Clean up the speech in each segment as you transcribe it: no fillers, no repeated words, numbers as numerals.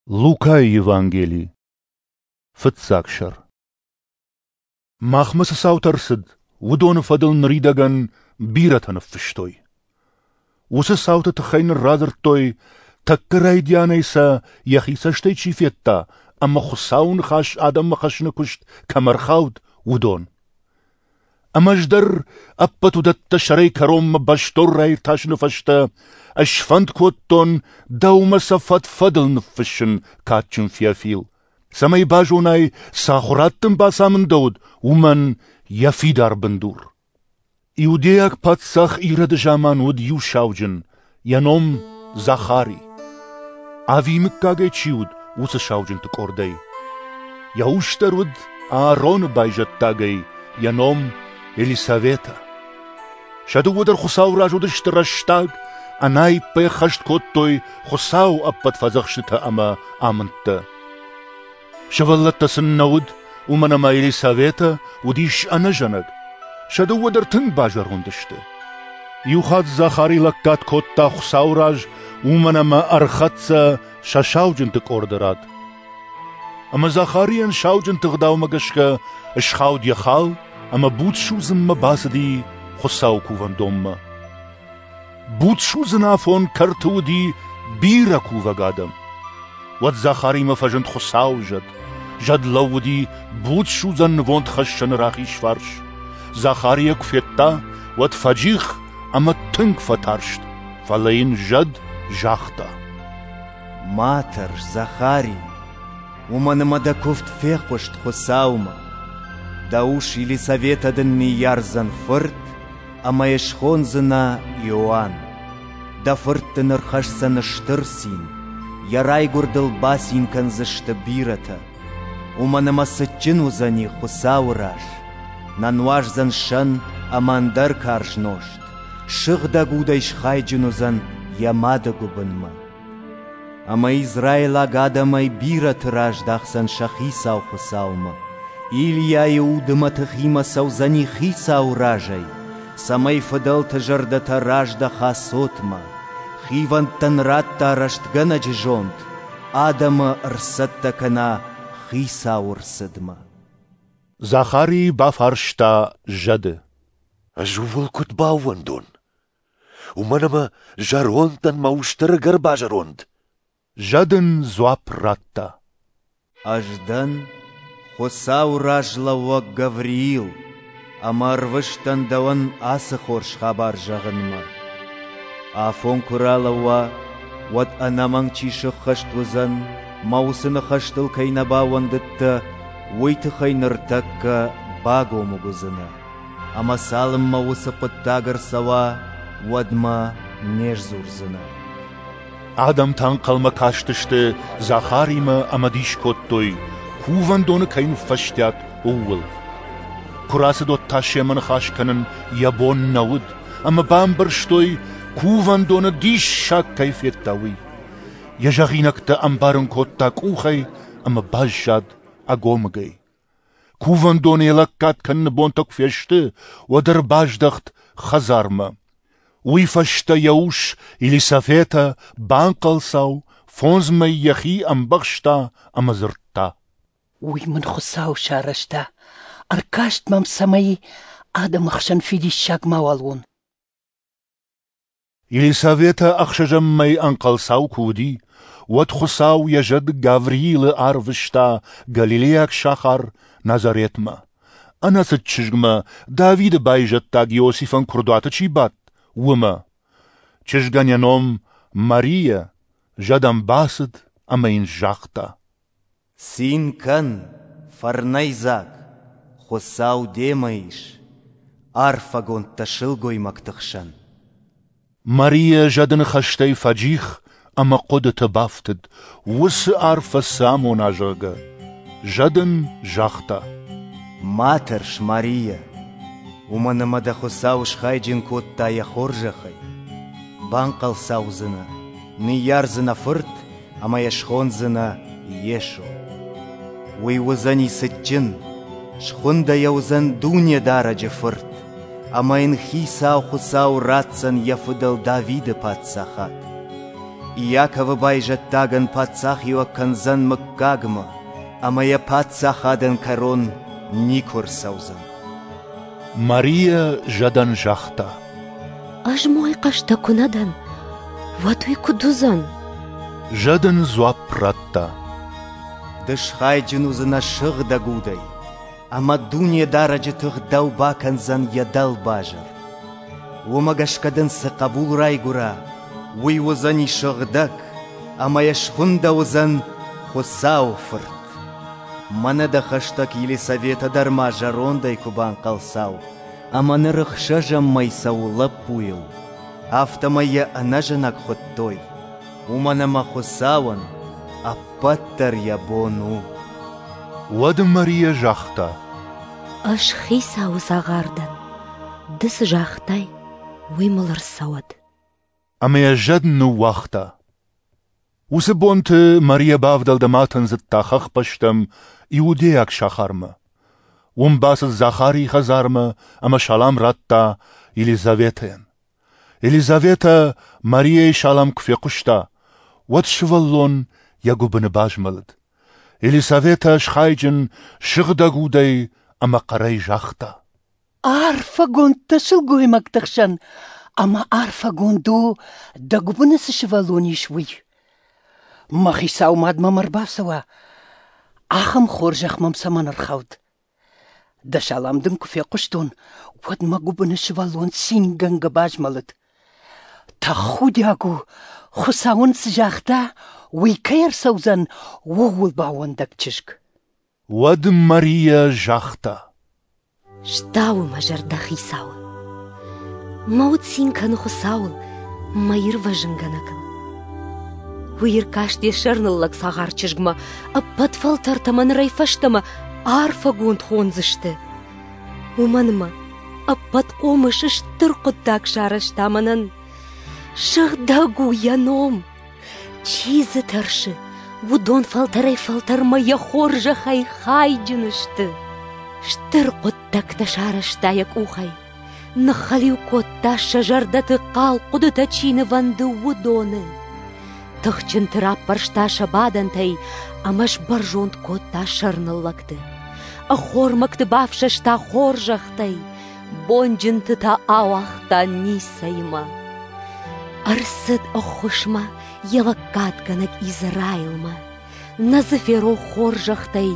Лукайы Евангели, фыццаг сӕр. Махмӕ цы цаутӕ рцыд, уыдоны фӕдыл ныридӕгӕн бирӕтӕ ныффыстой. Уыцы цауты тыххӕй нын радзырдтой, тӕккӕ райдианӕй сӕ йӕхи цӕстӕй чи федта ӕмӕ Хуыцауы ныхас адӕммӕ хӕссыны куыст кӕмӕ ӕрхауд, уыдон. Ӕмӕ ӕз дӕр ӕппӕт уыдӕттӕ сӕрӕй кӕронмӕ бӕстон раиртасыны фӕстӕ сфӕнд кодтон дӕумӕ сӕ фӕд-фӕдыл ныффыссын, кадджын Феофил, цӕмӕй базонай, цы ахуырад дын бацамындӕуыд, уымӕн йӕ фидар бындур. Иудейаг паддзах Ироды заман уыд иу сауджын, йӕ ном Захари. Авийы мыггагӕй чи уыд, уыцы сауджынты къордӕй. Йӕ ус дӕр уыд Аароны байзӕддагӕй, йӕ ном Елисаветӕ. Сӕ дыууӕ дӕр Хуыцауы раз уыдысты рӕстаг, ӕнаиппӕй ӕххӕст кодтой Хуыцауы ӕппӕт фӕдзӕхстытӕ ӕмӕ амындтӕ. Сывӕллӕттӕ сын нӕ уыд, уымӕн ӕмӕ Елисаветӕ уыдис ӕнӕзӕнӕг. Сӕ дыууӕ дӕр тынг базӕронд сты. Иухатт Захари лӕггад кодта Хуыцауы раз, уымӕн ӕмӕ ӕрхӕццӕ сӕ сауджынты къорды рад. Ӕмӕ Захарийӕн сауджынты ӕгъдаумӕ гӕсгӕ схауд йӕ хал ӕмӕ буд судзынмӕ бацыди Хуыцауы кувӕндонмӕ. Буд судзын афон кӕрты уыди бирӕ кувӕг адӕм. Уӕд Захаримӕ фӕзынд Хуыцауы зӕд. Зӕд лӕууыди буд судзӕн нывондхӕссӕны рахиз фарс. Захари йӕ куы федта, уӕд фӕджих ӕмӕ тынг фӕтарст, фӕлӕ йын зӕд загъта: Ма тӕрс, Захари, уымӕн ӕмӕ дӕ куывд фехъуыст Хуыцаумӕ. Дӕ ус Елисаветӕ дын ныййардзӕн фырт, ӕмӕ йӕ схондзынӕ Иоанн. Дӕ фырт дын ӕрхӕсдзӕн стыр цин, йӕ райгуырдыл бацин кӕндзысты бирӕтӕ. Уымӕн ӕмӕ цытджын уыдзӕни Хуыцауы раз. Нӕ нуаздзӕн сӕн ӕмӕ ӕндӕр карз нозт, сыгъдӕг удӕй схайджын уыдзӕн йӕ мады гуыбынмӕ. Ӕмӕ израилаг адӕмӕй бирӕты раздахдзӕн сӕ Хицау Хуыцаумӕ. Илийайы уды мӕтыхимӕ цӕудзӕни Хицауы разӕй, цӕмӕй фыдӕлты зӕрдӕтӕ раздӕха цотмӕ, хивӕндтӕн радта рӕстгӕнӕджы зонд, адӕмы ӕрцӕттӕ кӕна Хицауы рцыдмӕ. Захари бафарста зӕды: Ӕз ууыл куыд баууӕндон? Уымӕн ӕмӕ зӕронд дӕн, мӕ ус дӕр ӕгӕр базӕронд. Зӕд ын дзуапп радта: Ӕз дӕн Хуыцауы раз лӕууӕг Гавриил, ӕмӕ ӕрвыст дӕн дӕуӕн ацы хорз хабар зӕгъынмӕ. Афон куы ралӕууа, уӕд ӕнӕмӕнг чи сыххӕст уыдзӕн, мӕ уыцы ныхӕстыл кӕй нӕ баууӕндыдтӕ, уый тыххӕй ныртӕккӕ багомыг уыдзынӕ. Ӕмӕ цалынмӕ уыцы хъуыддаг ӕрцӕуа, уӕдмӕ не сдзурдзынӕ. Адӕмтӕ ӕнхъӕлмӕ кастысты Захаримӕ ӕмӕ дис кодтой, кувӕндоны кӕй ныффӕстиат, ууыл. Куы рацыд, уӕд та семӕ ныхас кӕнын йӕ бон нӕ уыд, ӕмӕ бамбӕрстой, кувӕндоны диссаг кӕй федта, уый. Йӕ зӕгъинӕгтӕ ӕмбарын кодта къухӕй ӕмӕ баззад ӕгомыгӕй. Кувӕндоны йӕ лӕггад кӕныны бонтӕ куы фесты, уӕд ӕрбаздӕхт хӕдзармӕ. Уый фӕстӕ йӕ ус Елисаветӕ банхъӕлцау, фондз мӕй йӕхи ӕмбӕхста ӕмӕ дзырдта: Уый мын Хуыцау сарӕзта, ӕркаст мӕм, цӕмӕй адӕмы хсӕн фидиссаг мауал уон. Елисаветӕ ӕхсӕзӕм мӕй ӕнхъӕлцау куы уыди, уӕд Хуыцау йӕ зӕд Гавриилы арвыста галилейаг сахар Назаретмӕ, ӕнӕцыд чызгмӕ, Давиды байзӕддаг Иосифӕн куырдуаты чи бадт, уымӕ. Чызгӕн йӕ ном Марийӕ, зӕд ӕм бацыд ӕмӕ йын загъта: Цин кӕн, фӕрнӕйдзаг, Хуыцау демӕ ис, арфӕгонд дӕ сылгоймӕгты хсӕн. Марийӕ зӕды ныхӕстӕй фӕджих ӕмӕ хъуыдыты бафтыд, уыцы арфӕ цы амона, зӕгъгӕ. Зӕд ын загъта: Ма тӕрс, Марийӕ, уымӕн ӕмӕ дӕ Хуыцау схайджын кодта йӕ хорзӕхӕй. Банхъӕлцаудзынӕ, ныййардзынӕ фырт ӕмӕ йӕ схондзынӕ Йесо. Уый уыдзӕни цытджын, схуындӕ йӕ уыдзӕн Дунедарӕджы Фырт, ӕмӕ йын Хицау Хуыцау ратдзӕн йӕ фыдӕл Давиды паддзахад. Иаковы байзӕддагӕн паддзахиуӕг кӕндзӕн мыггагмӕ, ӕмӕ йӕ паддзахадӕн кӕрон никуы рцӕудзӕн. Марийӕ зӕдӕн загъта: Ӕз мой хъӕстӕ куы нӕ дӕн, уӕд уый куыд уыдзӕн? Зӕд ын дзуапп радта: Ды схайджын уыдзынӕ Сыгъдӕг Удӕй, ӕмӕ Дунедарӕджы тых дӕу бакӕндзӕн йӕ дӕлбазыр. Уымӕ гӕсгӕ дын цы хъӕбул райгуыра, уый уыдзӕни сыгъдӕг, ӕмӕ йӕ схуындӕуыдзӕн Хуыцауы Фырт. Мӕнӕ дӕ хӕстӕг Елисаветӕ дӕр ма зӕрондӕй куы банхъӕлцау, ӕмӕ ныр ӕхсӕзӕм мӕй цӕуы лӕппуйыл, афтӕмӕй йӕ ӕнӕзӕнӕг хуыдтой, уымӕн ӕмӕ Хуыцауӕн ӕппӕт дӕр йӕ бон у. Уӕд Марийӕ загъта: Ӕз Хицауы цагъар дӕн. Ды цы загътай, уый мыл ӕрцӕуӕд. Ӕмӕ йӕ зӕд ныууагъта. Уыцы бонты Марийӕ бавдӕлд ӕмӕ атындзыдта хӕхбӕстӕм, иудейаг сахармӕ. Уым бацыд Захарийы хӕдзармӕ ӕмӕ салам радта Елизаветӕйӕн. Елизаветӕ Марийӕйы салам куы фехъуыста, уӕд сывӕллон йӕ гуыбыны базмӕлыд. Елисаветӕ схайджын сыгъдӕг удӕй ӕмӕ хъӕрӕй загъта: Арфӕгонд дӕ сылгоймӕгты хсӕн, ӕмӕ арфӕгонд у, дӕ гуыбыны цы сывӕллон ис, уый. Мӕ хицау мад мӕм ӕрбацӕуа, ахӕм хорзӕх мӕм цӕмӕн ӕрхауд? Дӕ салам дын куы фехъуыстон, уӕд мӕ гуыбыны сывӕллон цингӕнгӕ базмӕлыд. Тӕхудиаг у, Хуыцау ын цы загъта, уый кӕй ӕрцӕудзӕн, ууыл баууӕндӕг чызг. Уӕд Марийӕ загъта: Стауы мӕ зӕрдӕ Хицауы. Мӕ уд цин кӕны Хуыцауыл, мӕ ирвӕзынгӕнӕгыл. Уый ӕркаст йӕ сӕрныллӕг цагъар чызгмӕ, ӕппӕт фӕлтӕртӕ мӕ нырӕй фӕстӕмӕ арфӕгонд хондзысты. Уымӕн ӕмӕ ӕппӕтхъомыс стыр хъуыддаг сарӕзта мӕнӕн. Сыгъдӕг у йӕ ном. Чи дзы тӕрсы, уыдон фӕлтӕрӕй-фӕлтӕрмӕ йӕ хорзӕхӕй хайджын сты. Стыр хъуыддӕгтӕ сарӕзта йӕ къухӕй. Ныххӕлиу кодта сӕ зӕрдӕты хъал хъуыдытӕ чи нывӕнды, уыдоны. Тыхджынты раппӕрста сӕ бадӕнтӕй ӕмӕ сбӕрзонд кодта сӕрныллӕгты. Ӕххормӕгты бафсӕста хорзӕхтӕй, бонджынты та ауагъта ницӕимӕ. Ӕрцыд ӕххуысмӕ йӕ лӕггадгӕнӕг Израилмӕ. Нӕ дзы ферох хорзӕхтӕй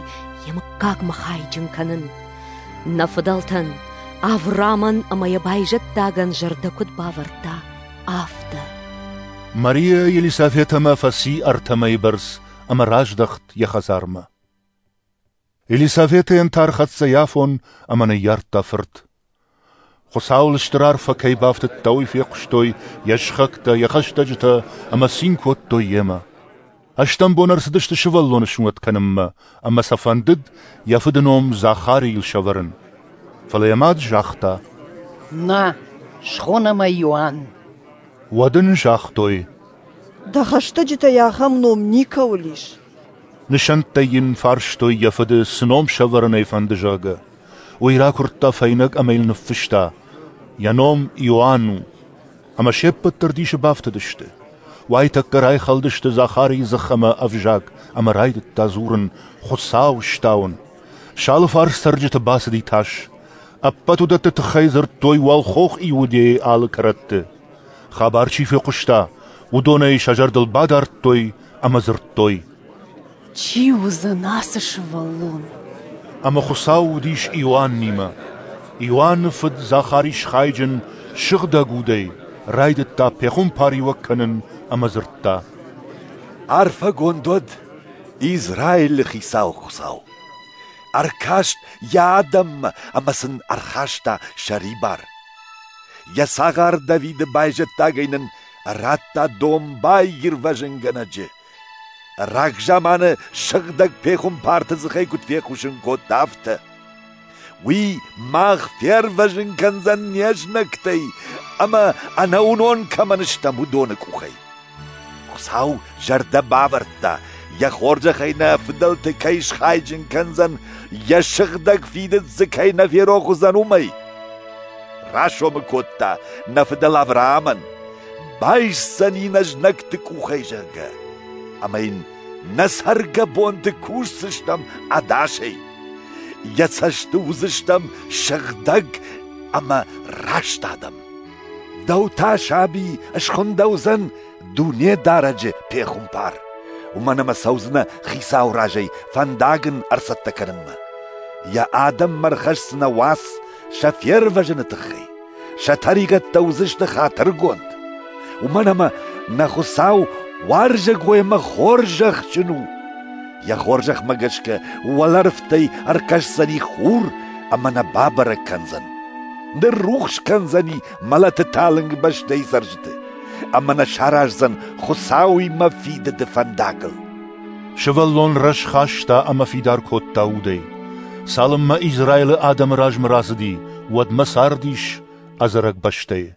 йӕ мыггагмӕ хайджын кӕнын. Нӕ фыдӕлтӕн, Авраамӕн ӕмӕ йӕ байзӕддагӕн зӕрдӕ куыд бавӕрдта, афтӕ. Мария Елисаветӕмӕ фӕци ӕртӕ мӕйы бӕрц ӕмӕ раздӕхт йӕ хӕдзармӕ. Елисаветӕйӕн та ӕрхӕццӕ йӕ афон ӕмӕ ныййардта фырт. Хуыцауыл стыр арфӕ кӕй бафтыдта, уый фехъуыстой йӕ сыхӕгтӕ, йӕ хӕстӕджытӕ ӕмӕ цин кодтой йемӕ. Ӕстӕм бон ӕрцыдысты сывӕллоны сунӕт кӕнынмӕ, ӕмӕ сӕ фӕндыд йӕ фыды ном Захарийыл сӕвӕрын. Фӕлӕ йӕ мад загъта: Нӕ, схонӕм ӕй Иоанн. Уӕд ын загътой: Дӕ хӕстӕджытӕй ахӕм ном никӕуыл ис. Нысӕнттӕй йын фарстой йӕ фыды, цы ном сӕвӕрын ӕй фӕнды, зӕгъгӕ. Уый ракуырдта фӕйнӕг ӕмӕ йыл ныффыста: Йӕ ном Иоанн у. Ӕмӕ се ппӕт дӕр дисы бафтыдысты. Уайтӕккӕ райхӕлдысты Захарийы дзых ӕмӕ ӕвзаг, ӕмӕ райдыдта дзурын, Хуыцау стауын. Сӕ алыфарс цӕрджыты бацыди тас. Ӕппӕт уыдӕтты тыххӕй дзырдтой уӕлхох Иудейы алы кӕрӕтты. Хабар чи фехъуыста, уыдонӕй сӕ зӕрдыл бадардтой ӕмӕ дзырдтой: Чи уыдзӕн ацы сывӕллон? Ӕмӕ Хуыцау уыдис Иоаннимӕ. Иоанны фыд Захари схайджын сыгъдӕг удӕй, райдыдта пехуымпариуӕг кӕнын ӕмӕ дзырдта: Арфӕгонд уӕд Израилы хицау Хуыцау! Ӕркаст йӕ адӕммӕ ӕмӕ сын ӕрхаста сӕрибар. Йӕ цагъар Давиды байзӕддагӕй нын радта домбай ирвӕзынгӕнӕджы. Рагзаманы сыгъдӕг пехуымпарты дзыхӕй куыд фехъусын кодта, афтӕ. Уый мах фервӕзын кӕндзӕн не знӕгтӕй ӕмӕ ӕнӕуынон кӕмӕн стӕм, уыдоны къухӕй. Хуыцау зӕрдӕ бавӕрдта, йӕ хорзӕхӕй нӕ фыдӕлты кӕй схайджын кӕндзӕн, йӕ сыгъдӕг фидыд дзы кӕй нӕ ферох уыдзӕн, уымӕй. Расомы кодта нӕ фыдӕл Авраамӕн, Байсдзӕни нӕ знӕгты къухӕй, зӕгъгӕ, ӕмӕ йын нӕ цӕргӕбонты кусдзыстӕм ӕдасӕй. Йӕ цӕсты уыдзыстӕм сыгъдӕг ӕмӕ раст адӕм. Дӕу та, саби, схуындӕуыдзӕн Дунедарӕджы пехуымпар, уымӕн ӕмӕ цӕудзынӕ Хицауы разӕй фӕндаг ын ӕрцӕттӕ кӕнынмӕ. Йӕ адӕммӕ ӕрхӕсдзынӕ уац сӕ фервӕзыны тыххӕй, сӕ тӕригъӕдтӕ уыдзысты хатыргонд. Уымӕн ӕмӕ нӕ Хуыцау уарзӕгой ӕмӕ хорзӕхджын у. Йӕ хорзӕхмӕ гӕсгӕ уӕлӕрвтӕй ӕркӕсдзӕни хур ӕмӕ нӕ бабӕрӕг кӕндзӕн. Ныррухс кӕндзӕни мӕлӕты талынг бӕстӕйы цӕрджыты ӕмӕ нӕ сараздзӕн Хуыцауимӕ фидыды фӕндагыл. Сывӕллон рӕз хаста ӕмӕ фидар кодта удӕй. Цалынмӕ Израилы адӕмы размӕ рацыди, уӕдмӕ цардис ӕдзӕрӕг бӕстӕйы.